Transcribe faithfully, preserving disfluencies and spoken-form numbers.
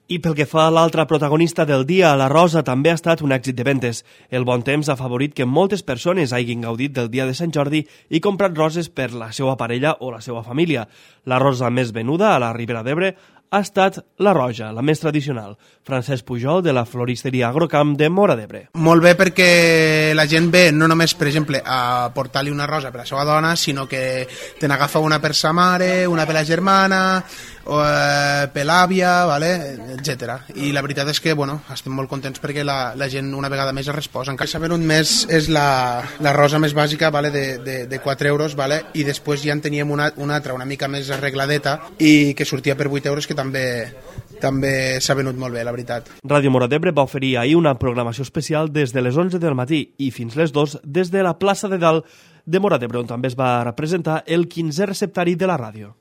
I pel que fa a l'altra protagonista del dia, la rosa, també ha estat un èxit de ventes. El bon temps ha favorit que moltes persones hagin gaudit del dia de Sant Jordi i comprat roses per la seva parella o la seva família. La rosa més venuda a la Ribera d'Ebre ha estat la roja, la més tradicional. Francesc Pujol, de la floristeria Agrocamp de Móra d'Ebre. Molt bé, perquè la gent ve no només, per exemple, a portar-li una rosa per a la seva dona, sinó que te n'agafa una per sa mare, una per la germana, o, eh, per l'àvia, vale? etcètera. I la veritat és que bueno, estem molt contents perquè la, la gent una vegada més es resposa. Encara s'ha venut més és la, la rosa més bàsica, vale? de, de, de quatre euros, vale? I després ja en teníem una, una altra una mica més arregladeta i que sortia per vuit euros, que també també s'ha venut molt bé, la veritat. Ràdio Móra d'Ebre va oferir ahir una programació especial des de les onze del matí i fins les dues des de la plaça de Dalt de Móra d'Ebre, on també es va representar el quinzè receptari de la ràdio.